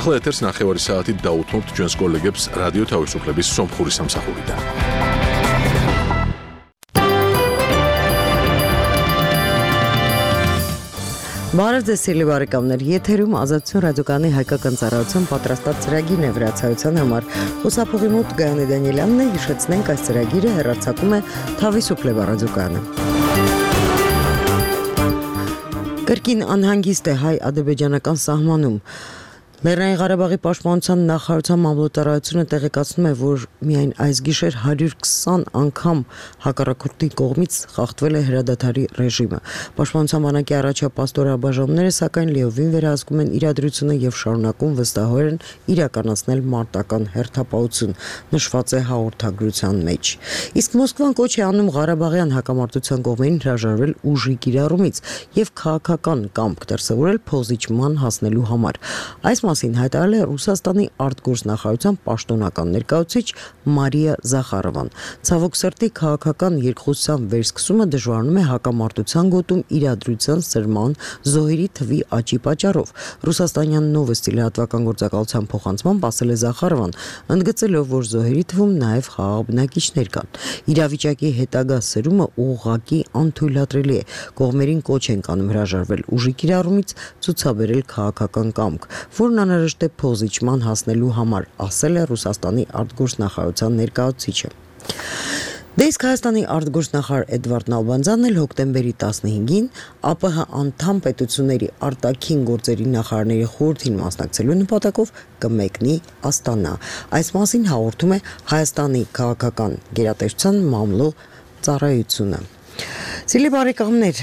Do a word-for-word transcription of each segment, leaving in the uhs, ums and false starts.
ახლა ეთერს ნახევარი საათით დაუთმობთ ჩვენს კოლეგებს რადიო თავისუფლების სომხური სამსახურიდან. Բարև ձեզ սիրելի բարեկամներ, եթերում Ազատություն ռադիոկայանի հայկական ծառայության պատրաստած ծրագիրն է վրացայության համար։ Խոսափողի մոտ Գայանե Դանիելյանն է, հիշեցնենք այս ծրագիրը հեռարձակում է Թավիսուփլեվա ռադիոկայանը։ Կրկին անհանգիստ է հայ-ադրբեջանական սահմանում։ Լեռնային Ղարաբաղի պաշտպանության նախարարության մամլոյթարայությունը տեղեկացնում է, որ միայն այս գիշեր հարյուր քսան անգամ հակառակորդի կողմից խախտվել է հրադադարի ռեժիմը։ Պաշտպանության բանակի առաջապատстоրաբաժանումները սակայն լիովին վերահսկում են իրադրությունը եւ շարունակում վստահորեն իրականացնել մարտական հերթապահություն, նշված է հաղորդագրության մեջ։ Իսկ Մոսկվան կոչ է անում Ղարաբաղյան հակամարտության կողմերին հրաժարվել ուժի կիրառումից եւ քաղաքական կամք դրսեւորել փոխզիջման հասնելու համար։ Այս մասին հայտարարել է Ռուսաստանի արտգործնախարարության պաշտոնական ներկայացուցիչ Մարիա Զախարովան։ Ցավոք սրտի քաղաքական երկխոսության վերսկսումը դժվարանում է հակամարտության գոտում իրադրության սրման զոհերի թվի աճի պատճառով։ Ռուսաստանյան Նովոստի լրատվական գործակալության փոխանցմամբ ասել է Զախարովան, ընդգծելով, որ զոհերի թվում նաև խաղաղ բնակիչներ կան։ Իրավիճակի հետագա սրումը ուղղակի անթույլատրելի է։ Կողմերին կոչ են կանում հրաժարվել ուժի կիրառումից, ցուցաբերել քաղաքական կամք, որն անհրաժեշտ է փոխզիջման հասնելու համար, ասել է Ռուսաստանի արտգործնախարարության ներկայացուցիչը։ Դե իսկ Հայաստանի արտգործնախարար Էդվարդ Նալբանդյանն էլ հոկտեմբերի տասնհինգին ԱՊՀ անդամ պետությունների արտաքին գործերի նախարարների խորհրդին մասնակցելու նպատակով կմեկնի Աստանա։ Այս մասին հաղորդում է Հայաստանի քաղաքական գերատեսչության մամլո ծառայությունը։ Սիրելի բարեկամներ,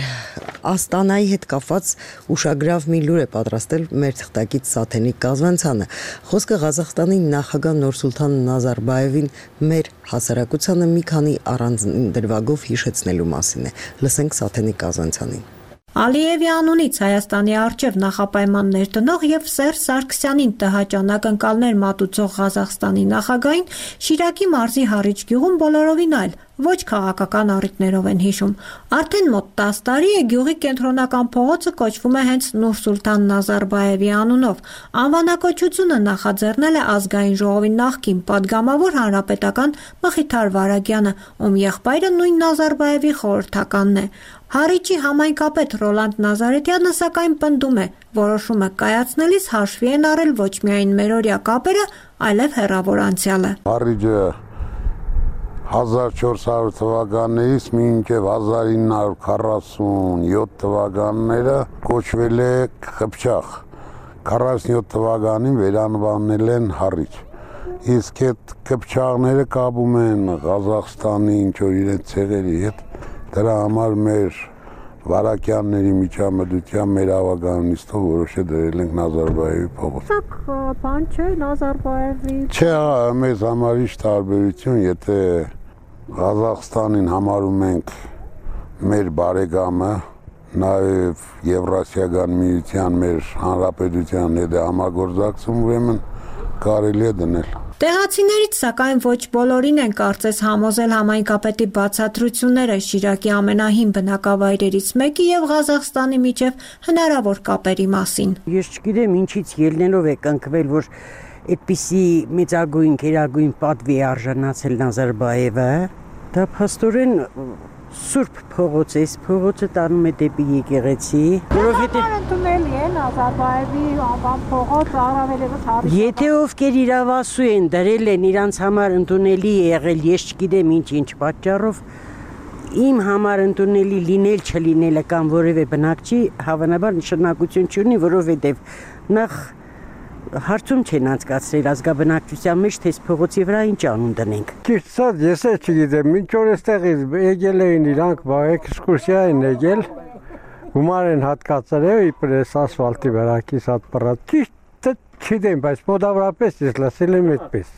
Աստանայի հետ կապված ուշագրավ մի լուր է պատրաստել մեր թղթակից Սաթենիկ Կազվանցյանը։ Խոսքը Ղազախստանի նախագահ Նուրսուլթան Նազարբաևին մեր հասարակությանը մի քանի առանձին դրվագով հիշեցնելու մասին է։ Լսենք Սաթենիկ Կազվանցյանին։ Ալիևի անունից Հայաստանի առջև նախապայման ներդնող եւ Սերժ Սարգսյանին տհաճանակ ընկալներ մատուցող Ղազախստանի նախագահին Շիրակի մարզի Հառիչ գյուղում բոլորովին այլ ոչ քաղաքական առիթներով են հիշում։ Արդեն մոտ տասը տարի է գյուղի կենտրոնական փողոցը կոչվում է հենց Նուրսուլթան Նազարբաևի անունով։ Անվանակոչությունը նախաձեռնել է ազգային ժողովի նախկին падգամավոր հանրապետական Մխիթար Վարագյանը, ում եղբայրը նույն Նազարբաևի խորհրդականն է։ Հառիչի համայնքապետ Ռոլանդ Նազարեթյանը սակայն պնդում է, որոշումը կայացնելիս հաշվի են առել ոչ միայն մերօրյա կապերը, այլև հեռավոր անցյալը։ Հառիչը հազար չորս հարյուր թվականից մինչև հազար ինը հարյուր քառասունյոթ թվականները կոչվել է Խփչախ։ քառասունյոթ թվականին վերանվանել են Հառիչ։ Իսկ այդ Խփչաղները կապում են Ղազախստանի ինչ-որ իրենց ցեղերի հետ։ Դրա համար մեր Վարակյանների միջամտությամբ մեր ավականիստով որոշե դրել ենք Նազարբաևի փողոց։ Սա բան չէ Նազարբաևի։ Չէ, մեզ համար ինչ տարբերություն, եթե Ղազախստանին համարում ենք մեր բարեկամը, նաև Եվրասիական միության մեր հանրապետության հետ համագործակցում, ուրեմն կարելի է դնել։ Տեղացիներից սակայն ոչ բոլորին են կարծես համոզել համայնքապետի բացատրությունները Շիրակի ամենահին բնակավայրերից մեկի եւ Ղազախստանի միջև հնարավոր կապերի մասին։ Ես չգիտեմ ինչից ելնելով է կնքվել, որ այդպիսի մեծագույն գերագույն պատվի արժանացել Նազարբաևը, դա փաստորեն Սուրբ փողոց է, փողոցը տանում է դեպի եկեղեցի, որովհետեւ ընդունելի է Նազարբաևի անվան փողոց առավելևս Հառիչ։ Եթե ովքեր իրավասու են դրել են իրանց համար ընդունելի եղել, ես չգիտեմ ինչ-ինչ պատճառով, իմ համար ընդունելի լինել չլինելը կամ որևէ բնակչի հավանաբար նշանակություն չունի, որովհետեւ նախ հարցում չեն անցկացրել ազգաբնակչության մեջ, թե փողոցի վրա ինչ անուն դնենք։ Ճիշտ ասած, ես էլ չգիտեմ, մինչ որ այստեղից եկել էին իրանք էքսկուրսիա են եկել, գումար են հատկացրել իբրես ասֆալտի վրա կիս հատ պռած։ Ճիշտ չգիտեմ, բայց մոտավորապես ես լսել եմ այդպես,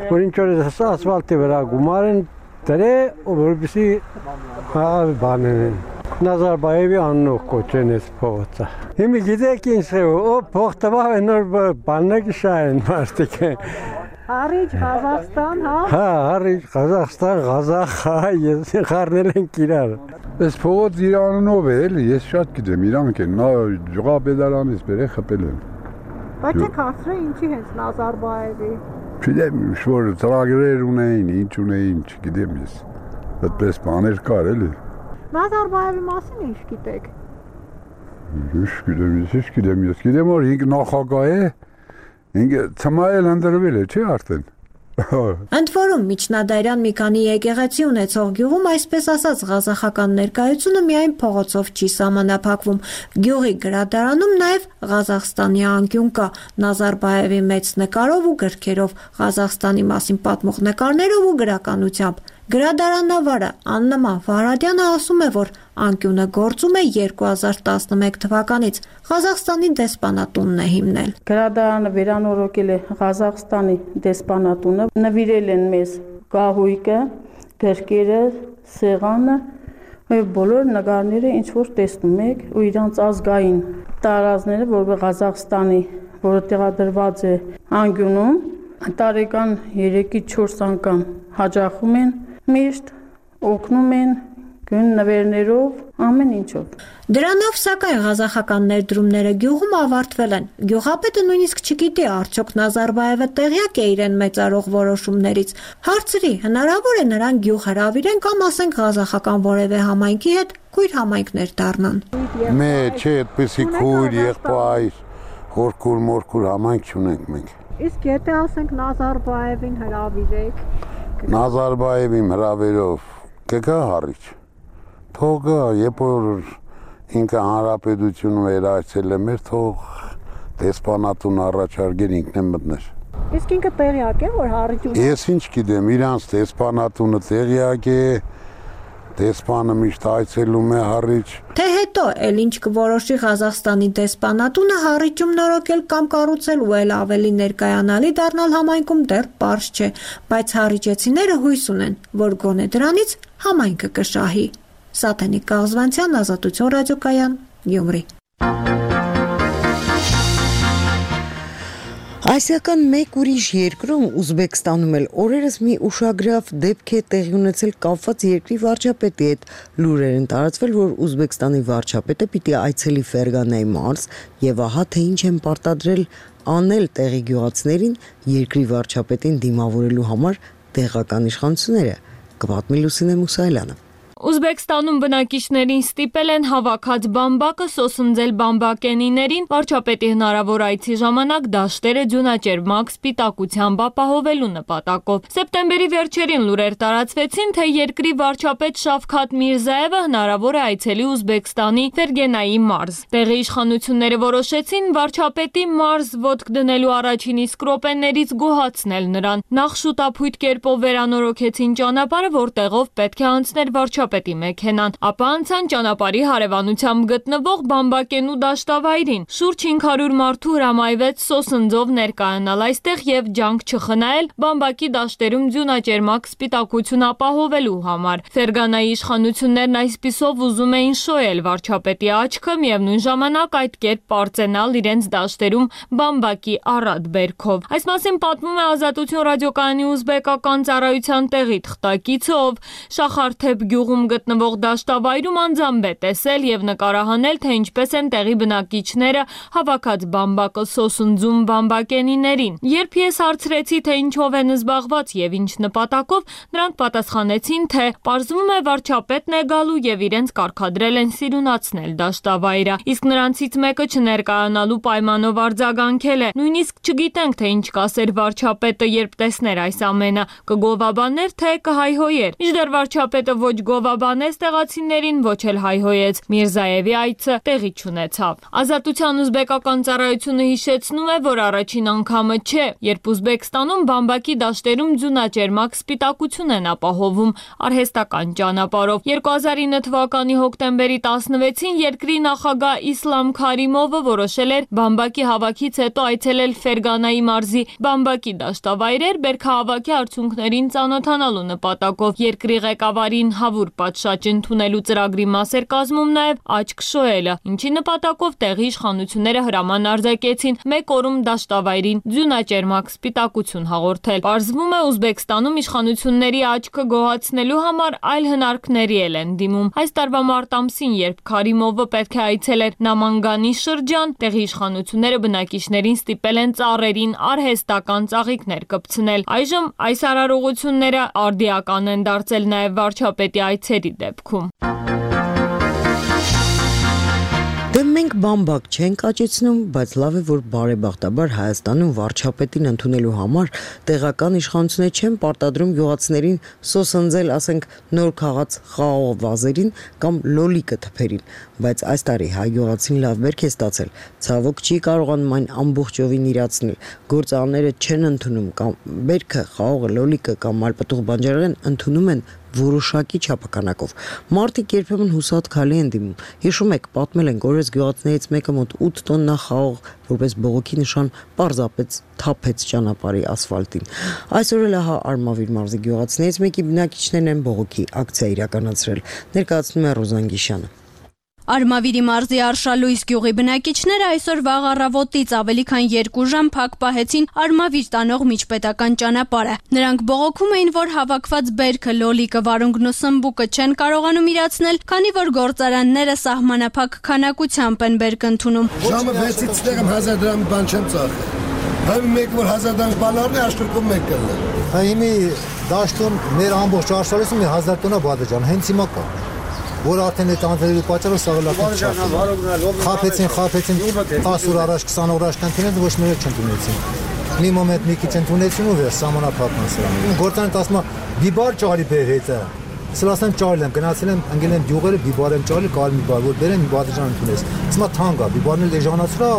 որ ինչ որ ասֆալտի վրա գումար են դրել, որպեսզի բաներ են։ Նազարբաևի անունով կոչեն այս փողոցը։ Հիմա գիտեք ինչ է, օ փող տվավ են նոր բաններ շահեն մարդիկ։ Հառիչ Ղազախստան, հա։ Հա, Հառիչ Ղազախստան, Ղազախ, հա, ես խառնել ենք իրար։ Այս փողոց իր անունով է, էլի, ես շատ գիտեմ, իրանք են, նա ջղապետարանից բերե խփել են։ Բայց եք հարցրել ինչի հենց Նազարբաևի։ Չգիտեմ, ինչ-որ ծրագրեր ունեին, ինչ ունեին, չգիտեմ ես։ Այդպես բաներ կար էլի։ Նազարբաևի մասին ինչ գիտեք։ Ինչ գիտեմ, ես ինչ գիտեմ, ես գիտեմ, որ ինք նախագահ է, ինքը ծմայել ընդրվել է, չէ՞ արդեն։ Ընդ որում միջնադարյան մի քանի եկեղեցի ունեցող գյուղում այսպես ասած ղազախական ներկայությունը միայն փողոցով չի սահմանափակվում։ Գյուղի գրադարանում նաև Ղազախստանի անկյուն կա Նազարբաևի մեծ նկարով ու գրքերով, Ղազախստանի մասին պատմող նկարներով ու գրականությամբ։ Գրադարանավարը Աննման Վարադյանը ասում է, որ անկյունը գործում է երկու հազար տասնմեկ թվականից, Ղազախստանի դեսպանատունն է հիմնել։ Գրադարանը վերանորոգել է Ղազախստանի դեսպանատունը, նվիրել են մեզ կահույկը, գրքերը, սեղանը, բոլոր նկարները ինչ որ տեսնում եք ու իրանց ազգային տարազները, որը Ղազախստանի, որը տեղադրված է անկյունում, տարեկան երեքից չորս անգամ հաճախում են, միշտ օգնում են գույն նվերներով, ամեն ինչով։ Դրանով սակայն ղազախական ներդրումները գյուղում ավարտվել են։ Գյուղապետը նույնիսկ չգիտի արդյոք Նազարբաևը տեղյակ է իրեն մեծարող որոշումներից։ Հարցրի, հնարավոր է նրան գյուղ հրավիրեն կամ ասենք ղազախական որևէ համայնքի հետ քույր համայնքներ դառնան։ Մե չէ, այդպեսի քույր, եղբայր, հորքուր, մորքուր համայնք չունենք մենք։ Իսկ եթե ասենք Նազարբաևին հրավիրեք։ Նազարբաևին հրավերով կգա հարիչ։ Թող գա, երբ որ ինքը հանրապետությունը վերահսել է մեր, թող դեսպանատուն առաջարկեր ինքն է մտներ։ Իսկ ինքը տեղյակ է, որ հարիչ ունի։ Ես ինչ գիտեմ, իրանց դեսպանատունը տեղյակ է, դեսպանը միշտ այցելում է հարիչ։ Թե հետո էլ ինչ կորոշի Ղազախստանի դեսպանատունը հարիճում նորոգել կամ կառուցել ու էլ ավելի ներկայանալի դառնալ համայնքում դեռ պարզ չէ, բայց հարիճեցիները հույս ունեն, որ գոնե դրանից համայնքը կշահի։ Սաթենիկ Կաղզվանցյան, Ազատություն ռադիոկայան, Գյումրի։ Ասիական մեկ ուրիշ երկրում Ուզբեկստանում էլ օրերս մի ուշագրավ դեպք է տեղի ունեցել կապված երկրի վարչապետի հետ։ Լուրեր են տարածվել, որ Ուզբեկստանի վարչապետը պիտի այցելի Ֆերգանայի մարզ եւ ահա թե ինչ են պարտադրել անել տեղի գյուղացիներին երկրի վարչապետին դիմավորելու համար տեղական իշխանությունները։ Կպատմի Լուսինե Մուսայելյանը։ Ուզբեկստանում բնակիչներին ստիպել են հավաքած բամբակը սոսնձել բամբակենիներին վարչապետի հնարավոր այցի ժամանակ դաշտերը ձյունաճերմակ սպիտակությամբ ապահովելու նպատակով։ Սեպտեմբերի վերջերին լուրեր տարածվեցին, թե երկրի վարչապետ Շավքաթ Միրզաևը հնարավոր է այցելի Ուզբեկստանի Ֆերգենայի մարզ։ Տեղի իշխանությունները որոշեցին վարչապետի մարզ ոտք դնելու առաջին իսկ րոպեներից գոհացնել նրան։ Նախ շուտափույթ կերպով վերանորոգեցին ճանապարհը, որտեղով պետք է անցներ վարչապետի պետի մեքենան, ապա անցան ճանապարհի հարևանությամբ գտնվող բամբակենու դաշտավայրին։ Շուրջ հինգ հարյուր մարդու հրամայվեց սոսնձով ներկայանալ այստեղ եւ ջանք չխնայել բամբակի դաշտերում ձյունաճերմակ սպիտակություն ապահովելու համար։ Ֆերգանայի իշխանություններն այսպիսով ուզում էին շոյել վարչապետի աչքը, միևնույն ժամանակ այդ կերպ պարծենալ իրենց դաշտերում բամբակի առատ բերքով։ Այս մասին պատմում է Ազատություն ռադիոկայանի ուզբեկական ծառայության տեղի թղթակիցը, ով Շախարթեփ գյուղում գտնվող դաշտավայրում անձամբ է տեսել եւ նկարահանել, թե ինչպես են տեղի բնակիչները հավաքած բամբակը սոսնձում բամբակենիներին։ Երբ ես հարցրեցի, թե ինչով են զբաղված եւ ինչ նպատակով, նրանք պատասխանեցին, թե պարզվում է վարչապետն է գալու եւ իրենց կարգադրել են սիրունացնել դաշտավայրը։ Իսկ նրանցից մեկը չներկայանալու պայմանով արձագանքել է. նույնիսկ չգիտենք, թե ինչ կասեր վարչապետը, երբ տեսներ այս ամենը, կգովաբաներ, թե կհայհոյեր։ Մինչդեռ վարչապետը ոչ գովաբանեց տեղացիներին, ոչ էլ հայհոյեց։ Միրզաևի այցը տեղի չունեցավ։ Ազատության ուզբեկական ծառայությունը հիշեցնում է, որ առաջին անգամը չէ, երբ Ուզբեկստանում բամբակի դաշտերում ձյունաճերմակ սպիտակություն են ապահովում արհեստական ճանապարհով։ երկու հազար ինը թվականի հոկտեմբերի տասնվեցին երկրի նախագահ Իսլամ Քարիմովը որոշել էր բամբակի հավաքից հետո այցելել Ֆերգանայի մարզի բամբակի դաշտավայրեր բերքահավաքի արդյունքներին ծանոթանալու նպատակով։ Երկրի ղեկավարին հավուր պատշաճ ընդունելու ծրագրի մաս էր կազմում նաև աչք շոյելը, ինչի նպատակով տեղի իշխանությունները հրաման արձակեցին մեկ օրում դաշտավայրին ձյունաճերմակ սպիտակություն հաղորդել։ Պարզվում է Ուզբեկստանում իշխանությունների աչքը գոհացնելու համար այլ հնարքների էլ են դիմում։ Այս տարվա մարտ ամսին, երբ Քարիմովը պետք է այցելեր Նամանգանի շրջան, տեղի իշխանությունները բնակիչներին ստիպել են ծառերին արհեստական ծաղիկներ կպցնել։ Այժմ այս արարողությունները արդիական են դարձել նաև վարչապետի այցերի դեպքում։ Դե մենք բամբակ չենք աճեցնում, բայց լավ է, որ բարեբախտաբար Հայաստանում վարչապետին ընդունելու համար տեղական իշխանությունները չեն պարտադրում գյուղացիներին սոսնձել, ասենք, նոր քաղաց խաղող վազերին կամ լոլիկը թփերին, բայց այս տարի հայ գյուղացին լավ բերք է ստացել, ցավոք չի կարողանում այն ամբողջովին իրացնել, գործարանները չեն ընդունում կամ բերքը, խաղողը, լոլիկը կամ մալպտուղ բանջարեղեն ընդունում են որոշակի չափականակով։ Մարդիկ երբեմն հուսատ քալի են դիմում։ Հիշում եք, պատմել ենք, օրես գյուղացիներից մեկը մոտ ութ տոննա խաղող որպես բողոքի նշան պարզապես թափեց ճանապարհի ասֆալտին։ Այսօր էլ ահա Արմավիր մարզի գյուղացիներից մեկի բնակիչներն են բողոքի ակցիա իրականացրել։ Ներկայացնում է Ռոզան Գիշյանը։ Արմավիրի մարզի Արշալույս գյուղի բնակիչները այսօր վաղ առավոտից ավելի քան երկու ժամ փակ պահեցին Արմավիր տանող միջպետական ճանապարհը։ Նրանք բողոքում էին, որ հավաքված բերքը, լոլիկը, վարունգն ու սմբուկը չեն կարողանում իրացնել, քանի որ գործարանները սահմանափակ քանակությամբ են բերք ընդունում։ Ժամը վեցից տեղում հազար դրամի բան չեմ ծախել։ Հայ մեկ որ հազար դրամ բալարն է, աշտուրքում մեկ կլն։ Հայ հիմի դաշտում մեր ամբողջ Արշալույսում մի հազար տոննա բադեջան, հենց հիմա կա։ Որ արդեն այդ անձրևի պատճառով սաղլակն չափ։ Խափեցին, խափեցին տասը օր առաջ, քսան օր առաջ կընդունեն, ոչ մեկ չընդունեցին։ Մի մոմենտ մի քիչ ընդունեցին ու վեր սահմանափակման սրանք։ Գործարանը ասում է՝ «Բիբար ճարի բեր հետը»։ Սլասեմ ճարել եմ, գնացել եմ, ընկել եմ գյուղերը, բիբար եմ ճարել, կարել մի բար, որ բերեմ մի բադեջան ընդունես։ Ասում է թանկ է, բիբարն էլ էժանացրա,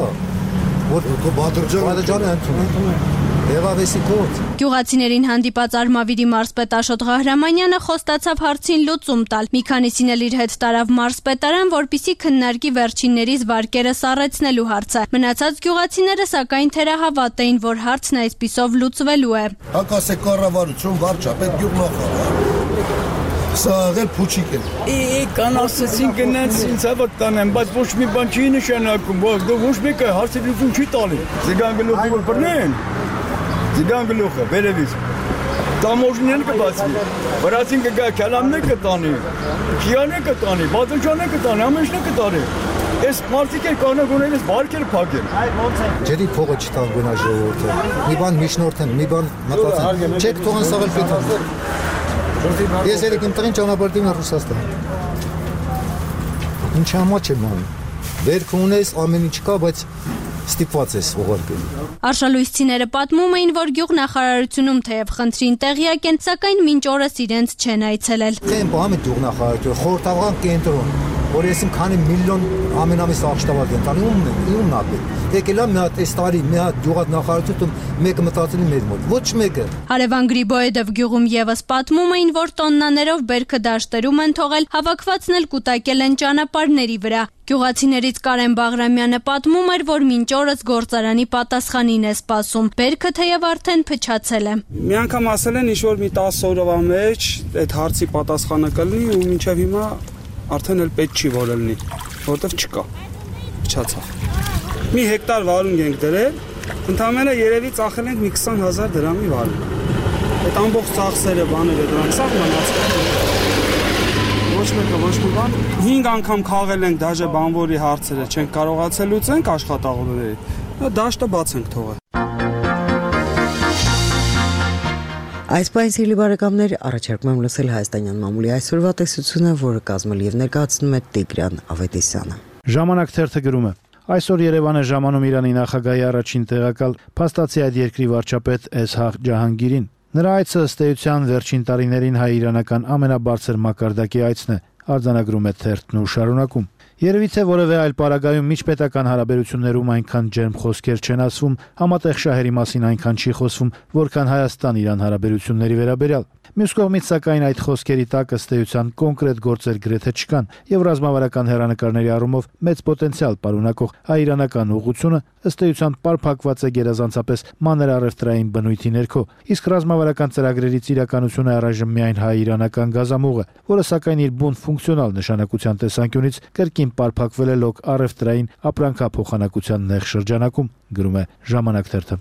որ բադեջանը ընդունեն։ Եվավեսի կոտ։ Գյուղացիներին հանդիպած Արմավիրի մարզպետ Աշոտ Ղահրամանյանը խոստացավ հարցին լուծում տալ։ Մի քանիսին էլ իր հետ տարավ մարզպետարան, որպիսի քննարկի վերջիններից վարկերը սառեցնելու հարցը։ Մնացած գյուղացիները սակայն թերահավատ էին, որ հարցն այսպիսով լուծվելու է։ Հակասե կառավարություն, վարչապետ, գյուղնախարար։ Սա աղել փուչիկ է։ Է կան ասեցին գնաց ինձ հավատ տանեմ, բայց ոչ մի բան չի նշանակում, ոչ մեկը հարցի լուծում չի տալի։ Զգան գլուխը որ բռնեն։ Զգան գլուխը վերևից։ Տամոժնեն կբացվի։ Վրացին կգա քալամներ կտանի, քիաներ կտանի, բադեջաներ կտանի, ամեն ինչն կտանի։ Այս մարդիկ են կանագոնել այս վարկերը փակեն։ Ջերի փողը չտան գոնա ժողովուրդը։ Մի բան միջնորդեն, մի բան մտածեն։ Չեք թողան սաղել պետք։ Ես երեք իմ տղին ճանապարհին Ռուսաստան։ Ինչ համաչ եմ անում։ Բերք ունես, ամեն ինչ կա, բայց ստիպված ես ուղարկելու։ Արշալույսցիները պատմում էին, որ գյուղնախարարությունում թեև խնդրին տեղյակ են, սակայն մինչ օրս իրենց չեն այցելել։ Դեմ բամի գյուղնախարարություն, խորհրդական կենտրոն, որ եսիմ քանի միլիոն ամենամիս աղջտավար կենտրոնի ումն է, ումն է։ Եկել է մի հատ այս տարի մի հատ գյուղնախարարություն մեկը մտածել է մեր մոտ, ոչ մեկը։ Հարևան Գրիբոյեդով գյուղում եւս պատմում էին, որ տոննաներով բերքը դաշտերում են թողել, հավաքվածն էլ կուտակել են ճանապարհների վրա։ Գյուղացիներից Կարեն Բաղրամյանը պատմում էր, որ մինչ օրս գործարանի պատասխանին է սպասում։ Բերքը թեև արդեն փչացել է։ Մի անգամ ասել են ինչ որ մի տասը օրվա մեջ այդ հարցի պատասխանը կլինի ու մինչև հիմա արդեն էլ պետք չի որ լինի, որտեվ չկա։ Փչացավ։ Մի հեկտար վարունգ ենք դրել, ընդամենը երևի ծախել ենք մի քսան հազար դրամի վարունգ։ Այդ ամբողջ ծախսերը, բաները դրանք սա մնացել։ Ոչ մեկը ոչ մի բան։ հինգ անգամ խաղել ենք դաժե բանվորի հարցերը, չենք կարողացել լուծենք աշխատողների։ Դաշտը բաց ենք թողել։ Այս պայն սիրելի բարեկամներ, առաջարկում եմ լսել հայաստանյան մամուլի այսօրվա տեսությունը, որը կազմել եւ ներկայացնում է Տիգրան Ավետիսյանը։ Ժամանակ թերթը գրում է. Այսօր Երևան է ժամանում Իրանի նախագահի առաջին տեղակալ փաստացի այդ երկրի վարչապետ Էսհաղ Ջահանգիրին։ Նրա այցը ըստ էության վերջին տարիներին հայ-իրանական ամենաբարձր մակարդակի այցն է, արձանագրում է թերթն ու շարունակում։ Երևի թե որևէ այլ պարագայում միջպետական հարաբերություններում այնքան ջերմ խոսքեր չեն ասվում, համատեղ շահերի մասին այնքան չի խոսվում, որքան Հայաստան-Իրան հարաբերությունների վերաբերյալ։ Մյուս կողմից սակայն այդ խոսքերի տակ ըստ էության կոնկրետ գործեր գրեթե չկան, եւ ռազմավարական հերանեկարների առումով մեծ պոտենցիալ պարունակող հայ-իրանական ուղղությունը ըստ էության պարփակված է գերազանցապես մանր առևտրային բնույթի ներքո, իսկ ռազմավարական ծրագրերից իրականությունը առայժմ միայն հայ-իրանական գազամուղ է, որը սակայն իր բուն ֆունկցիոնալ նշանակության տեսանկյունից կրկին պարփակվել է լոկ առևտրային ապրանքափոխանակության նեղ շրջանակում, գրում է Ժամանակ թերթը։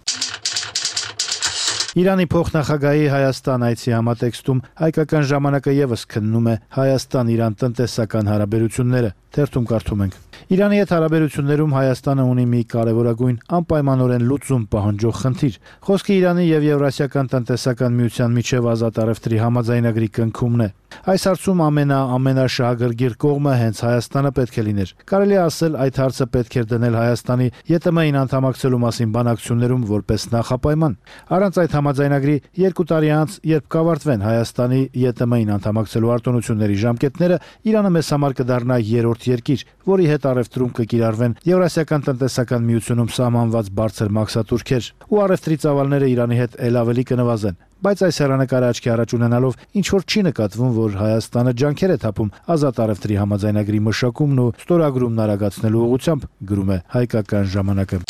Իրանի փոխնախագահի Հայաստան այցի համատեքստում հայկական ժամանակը եւս քննում է Հայաստան-Իրան տնտեսական հարաբերությունները։ Թերթում կարդում ենք. Իրանի հետ հարաբերություններում Հայաստանը ունի մի կարևորագույն անպայմանորեն լուծում պահանջող խնդիր։ Խոսքը Իրանի եւ Եվրասիական տնտեսական միության միջև ազատ առևտրի համաձայնագրի կնքումն է։ Այս հարցում ամենա ամենաշահագրգիռ կողմը հենց Հայաստանը պետք է լիներ։ Կարելի է ասել, այդ հարցը պետք է դնել Հայաստանի ԵՏՄ-ին անդամակցելու մասին բանակցություններում որպես նախապայման։ Առանց այդ համաձայնագրի երկու տարի անց, երբ կավարտվեն Հայաստանի ԵՏՄ-ին անդամակցելու արտոնությունների ժամկետները, Իրանը մեզ համար կդառնա երրորդ երկիր, որի հետ առևտրում կկիրառվեն Եվրասիական տնտեսական միությունում սահմանված բարձր մաքսատուրքեր, ու առևտրի ծավալները Իրանի հետ ել ավելի կնվազեն։ Բայց այս հեռանկարը աչքի առաջ ունենալով ինչ որ չի նկատվում, որ Հայաստանը ջանքեր է թափում ազատ առևտրի համաձայնագրի մշակումն ու ստորագրումն արագացնելու ուղղությամբ, գրում է Հայկական ժամանակը։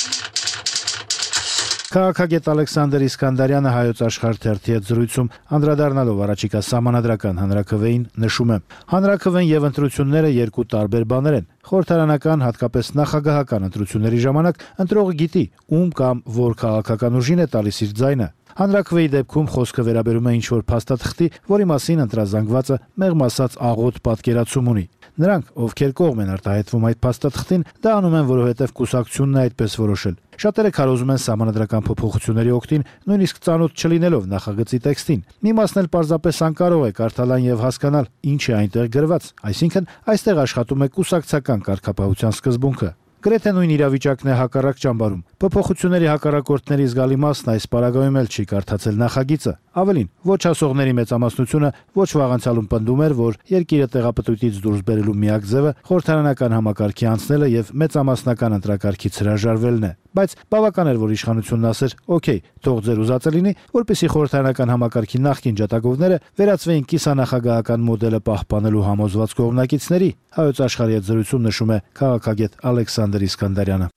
Քաղաքագետ Ալեքսանդր Իսկանդարյանը Հայոց Աշխարհ թերթի հետ զրույցում անդրադառնալով առաջիկա սահմանադրական հանրաքվեին նշում է. հանրաքվեն եւ ընտրությունները երկու տարբեր բաներ են։ Խորհրդարանական, հատկապես նախագահական ընտրությունների ժամանակ ընտրողը գիտի, ում կամ որ քաղաքական ուժին է տալիս իր ձայնը։ Հանրաքվեի դեպքում խոսքը վերաբերում է ինչ-որ փաստաթղթի, որի մասին ընտրազանգվածը մեղմ ասած աղոտ պատկերացում ունի։ Նրանք, ովքեր կողմ են արտահայտվում այդ փաստաթղթին, դա անում են, որովհետև կուսակցությունն է այդպես որոշել։ Շատերը քարոզում են սահմանադրական փոփոխությունների օգտին, նույնիսկ ծանոթ չլինելով նախագծի տեքստին։ Մի մասն էլ պարզապես անկարող է կարդալան եւ հասկանալ, ինչ է այնտեղ գրված, այսինքն այստեղ աշխատում է կուսակցական կարգապահության սկզբունքը։ Գրեթե նույն իրավիճակն է հակառակ ճամբարում։ Փոփոխությունների հակառակորդների զգալի մասն այս պարագայում էլ չի կարդացել նախագիծը։ Ավելին, ոչ ասողների մեծամասնությունը ոչ վաղանցյալում պնդում էր, որ երկիրը տեղապտույտից դուրս բերելու միակ ձևը խորհրդարանական համակարգի անցնելը եւ մեծամասնական ընտրակարգից հրաժարվելն է։ Բայց բավական էր, որ իշխանությունն ասեր. «Okay, թող ձեր ուզածը լինի, որպեսզի խորհրդարանական համակարգի նախկին ջատագովները վերածվեին կիսանախագահական մոդելը պահպանելու համոզված կողմնակիցների»։ Հայոց աշխարհի հետ զրույցում նշում է քաղաքագետ Ալեքսանդր Իսկանդարյանը։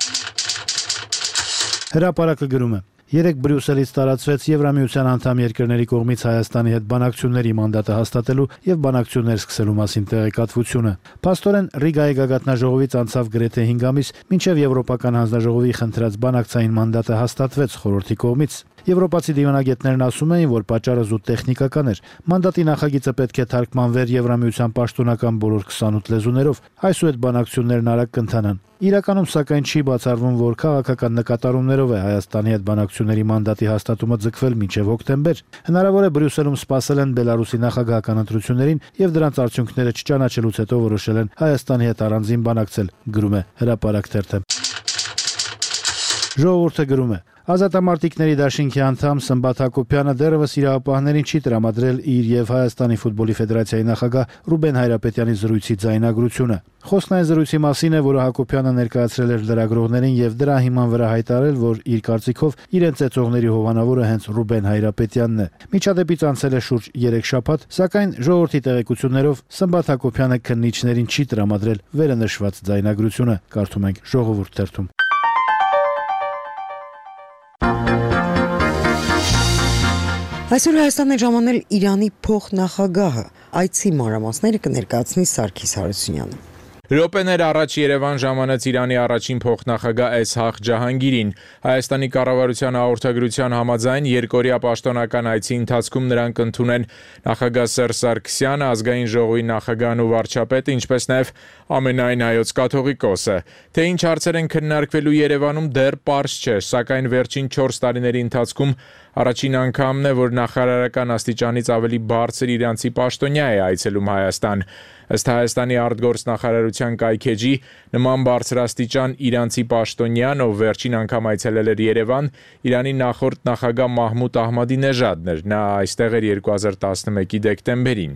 Հրապարակը գրում է. Երեք Բրյուսելից տարածվեց Եվրամիության անդամ երկրների կողմից Հայաստանի հետ բանակցությունների մանդատը հաստատելու եւ բանակցություններ սկսելու մասին տեղեկատվությունը։ Փաստորեն Ռիգայի գագաթնաժողովից անցավ գրեթե հինգ ամիս, մինչև Եվրոպական հանձնաժողովի խնդրած բանակցային մանդատը հաստատվեց խորհրդի կողմից։ Եվրոպացի դիվանագետներն ասում էին, որ պատճառը զուտ տեխնիկական էր։ Մանդատի նախագիծը պետք է թարգմանվեր Եվրամիության պաշտոնական բոլոր քսանութ լեզուներով, այսուհետ բանակցություններն արագ կընթանան։ Իրականում սակայն չի բացառվում, որ քաղաքական նկատառումներով է Հայաստանի հետ բանակցությունների մանդատի հաստատումը ձգվել մինչև հոկտեմբեր։ Հնարավոր է Բրյուսելում սպասել են Բելարուսի նախագահական ընտրություններին եւ դրանց արդյունքները չճանաչելուց հետո որոշել են Հայաստանի հետ առանձին բանակցել, գրում է Հրապարակ թերթը։ Ժողովուրդը գրում է. Ազատամարտիկների դաշինքի անդամ Սմբատ Հակոբյանը դեռևս իրավապահներին չի տրամադրել իր եւ Հայաստանի ֆուտբոլի ֆեդերացիայի նախագահ Ռուբեն Հայրապետյանի զրույցի ձայնագրությունը։ Խոսքն այն զրույցի մասին է, որը Հակոբյանը ներկայացրել էր լրագրողներին եւ դրա հիման վրա հայտարարել, որ իր կարծիքով իրենց ծեծողների հովանավորը հենց Ռուբեն Հայրապետյանն է։ Միջադեպից անցել է շուրջ երեք շաբաթ, սակայն ժողովրդի տեղեկություններով Սմբատ Հակոբյանը քննիչներին չի տրամադրել վերը նշված ձայնագրությունը, կարդում ենք Ժողովուրդ թերթում։ Այսօր Հայաստան է ժամանել Իրանի փոխնախագահը։ Այցի մանրամասները կներկայացնի Սարգիս Հարությունյանը։ Րոպեներ առաջ Երևան ժամանեց Իրանի առաջին փոխնախագահ Էսհաղ Ջահանգիրին։ Հայաստանի կառավարության հաղորդագրության համաձայն երկօրյա պաշտոնական այցի ընթացքում նրանք ընդունեն նախագահ Սերժ Սարգսյանը, ազգային ժողովի նախագահն ու վարչապետը, ինչպես նաև ամենայն հայոց կաթողիկոսը։ Թե ինչ հարցեր են քննարկվելու Երևանում դեռ պարզ չէ, սակայն վերջին չորս տարիների ընթացքում առաջին անգամն է, որ նախարարական աստիճանից ավելի բարձր իրանցի պաշտոնյա է այցելում Հայաստան։ Ըստ Հայաստանի արտգործնախարարության կայքեջի, նման բարձրաստիճան իրանցի պաշտոնյան, ով վերջին անգամ այցելել էր Երևան, Իրանի նախորդ նախագահ Մահմուդ Ահմադինեժադն էր։ Նա այստեղ էր երկու հազար տասնմեկի դեկտեմբերին։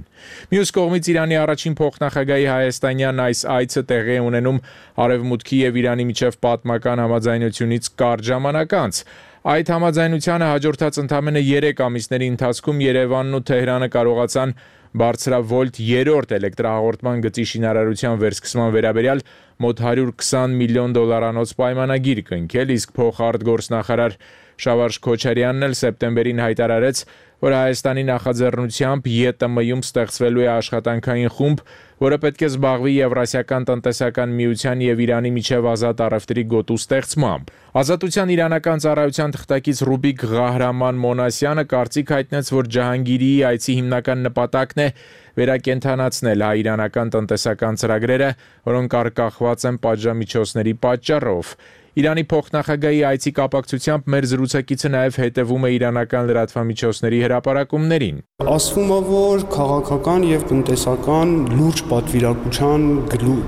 Մյուս կողմից Իրանի առաջին փոխնախագահի հայաստանյան այս այցը տեղի է ունենում Արևմուտքի եւ Իրանի միջև պատմական համաձայնությունից կարճ ժամանակ անց։ Այդ համաձայնությանը հաջորդած ընդամենը երեք ամիսների ընթացքում Երևանն ու Թեհրանը կարողացան բարձրավոլտ երրորդ էլեկտրահաղորդման գծի շինարարության վերսկսման վերաբերյալ մոտ հարյուր քսան միլիոն դոլարանոց պայմանագիր կնքել, իսկ փոխարտգործնախարար Շավարժ Քոչարյանն էլ սեպտեմբերին հայտարարեց, որ Հայաստանի նախաձեռնությամբ ԵՏՄ-ում ստեղծվելու է աշխատանքային խումբ, որը պետք է զբաղվի Եվրասիական տնտեսական միության եւ Իրանի միջև ազատ առևտրի գոտու ստեղծմամբ։ Ազատության իրանական ծառայության թղթակից Ռուբիկ Ղահրաման Մոնասյանը կարծիք հայտնեց, որ Ջահանգիրիի այցի հիմնական նպատակն է վերակենդանացնել հայ-իրանական տնտեսական ծրագրերը, որոնք արկախված են պատժամիջոցների պատճառով։ Իրանի փոխնախագահի այցի կապակցությամբ մեր զրուցակիցը նաև հետևում է իրանական լրատվամիջոցների հրապարակումներին։ Ասվում է, որ քաղաքական եւ տնտեսական լուրջ պատվիրակության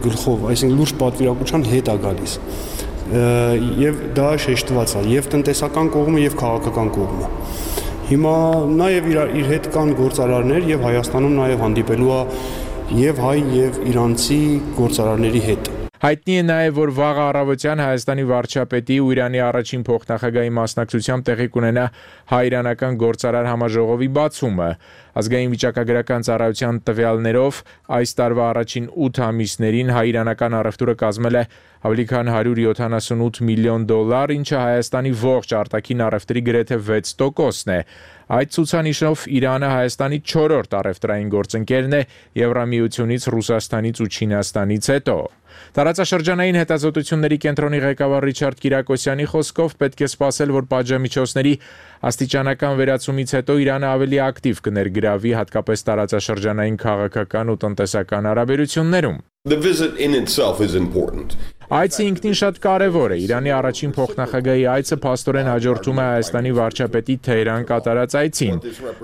գլխով, այսինքն լուրջ պատվիրակության հետ է գալիս։ Եվ դա շեշտված է եւ տնտեսական կողմը եւ քաղաքական կողմը։ Հիմա նաեւ իր, իր հետ կան գործարարներ եւ Հայաստանում նաեւ հանդիպելու է եւ հայ եւ իրանցի գործարարների հետ։ Հայտնի է նաև, որ վաղ առավոտյան Հայաստանի վարչապետի ու Իրանի առաջին փոխնախագահի մասնակցությամբ տեղի կունենա հայ-իրանական գործարար համաժողովի բացումը։ Ազգային վիճակագրական ծառայության տվյալներով այս տարվա առաջին ութ ամիսներին հայ-իրանական առևտուրը կազմել է ավելի քան հարյուր յոթանասունութ միլիոն դոլար, ինչը Հայաստանի ողջ արտաքին առևտրի գրեթե վեց տոկոսն է։ Այդ ցուցանիշով Իրանը Հայաստանի չորրորդ առևտրային գործընկերն է Եվրամիությունից, Ռուսաստանից ու Չինաստանից հետո։ Տարածաշրջանային հետազոտությունների կենտրոնի ղեկավար Ռիչարդ Կիրակոսյանի խոսքով պետք է սպասել, որ պատժամիջոցների աստիճանական վերացումից հետո Իրանը ավելի ակտիվ կներգրավի հատկապես տարածաշրջանային քաղաքական ու տնտեսական հարաբերություններում։ The visit in itself is important. Այցը ինքնին շատ կարևոր է։ Իրանի առաջին փոխնախագահի այցը փաստորեն հաջորդում է Հայաստանի վարչապետի Թեհրան կատարած այցին։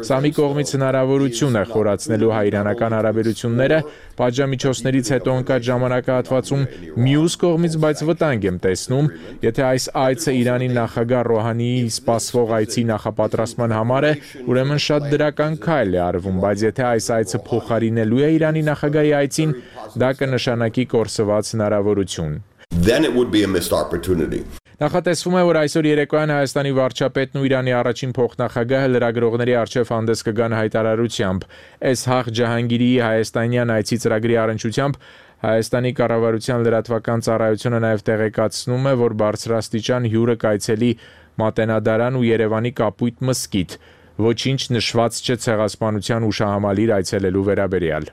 Սա մի կողմից հնարավորություն է խորացնելու հայ-իրանական հարաբերությունները, պատժամիջոցներից հետո ընկած ժամանակահատվածում, մյուս կողմից բայց վտանգ եմ տեսնում, եթե այս այցը Իրանի նախագահ Ռոհանիի սպասվող այցի նախապատրաստման համար է, ուրեմն շատ դրական քայլ է արվում, բայց եթե այս այցը փոխարինելու է Իրանի նախագահի այցին, դա կնշանակի կորսված հնարավորություն։ Then it would be a missed opportunity. Նախատեսվում է, որ այսօր երեկոյան Հայաստանի վարչապետն ու Իրանի առաջին փոխնախագահը լրագրողների առջև հանդես կգան հայտարարությամբ։ Էսհաղ Ջահանգիրիի հայաստանյան այցի ծրագրի առնչությամբ Հայաստանի կառավարության լրատվական ծառայությունը նաև տեղեկացնում է, որ բարձրաստիճան հյուրը կայցելի Մատենադարան ու Երևանի Կապույտ մզկիթ։ Ոչինչ նշված չէ ցեղասպանության ուշահամալիր այցելելու վերաբերյալ։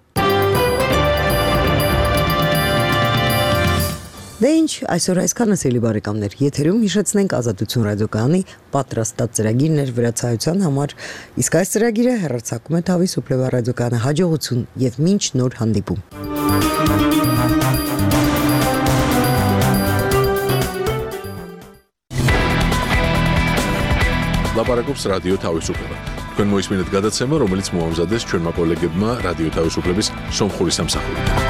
Դե ինչ, այսօր այսքանը սիրելի բարեկամներ, եթերում հիշեցնենք Ազատություն ռադիոկայանի պատրաստած ծրագիրներ վրացայության համար, իսկ այս ծրագիրը հեռարձակում է Թավի Սուպլեվա ռադիոկայանը հաջողություն եւ մինչ նոր հանդիպում։ Լապարակոպս ռադիո Թավի Սուպլեվա։ Քան մոյս մինուտ գադացեմը, რომელიც մոհամզադես չորմա կոլեգებმა ռադիո Թավի Սուպլեվիս Սոմխորիս ամսախորի։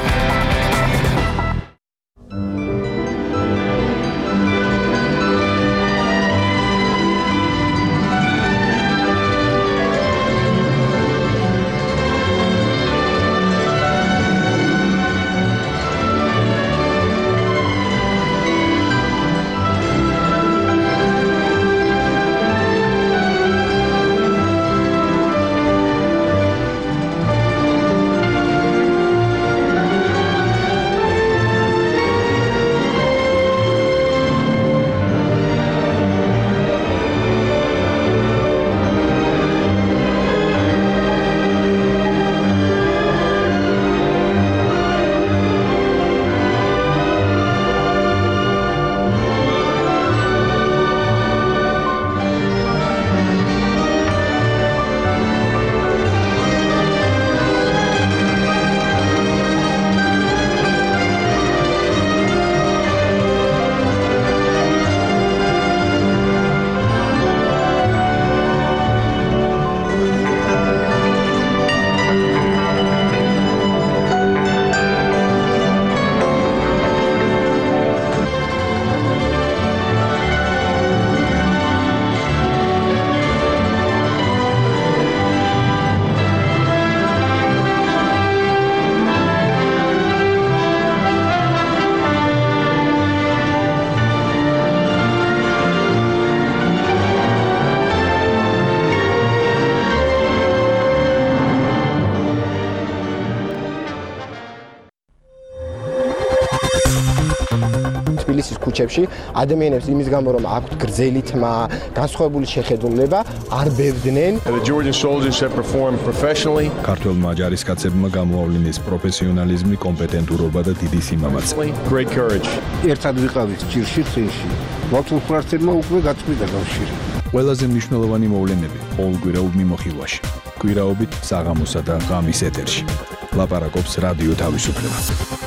თბილისის ქუჩებში ადამიანებს იმის გამო რომ აქვთ გრძელი თმა, განსხვავებული შეხედულება, არ ბევდნენ. The Georgian soldiers have performed professionally. ქართველმა ჯარისკაცებმა გამოავლინეს პროფესიონალიზმი, კომპეტენტურობა და დიდი სიმამაცე. Great courage. ერთად ვიყავით ჭირში წინში. მართლმსვერპლმა უკვე გაწყვიტა კავშირი. ყველაზე მნიშვნელოვანი მოვლენები ყოველკვირეულ მიმოხილვაში. კვირაობით საღამოსა და ღამის ეთერში. ლაპარაკობს რადიო თავისუფლება.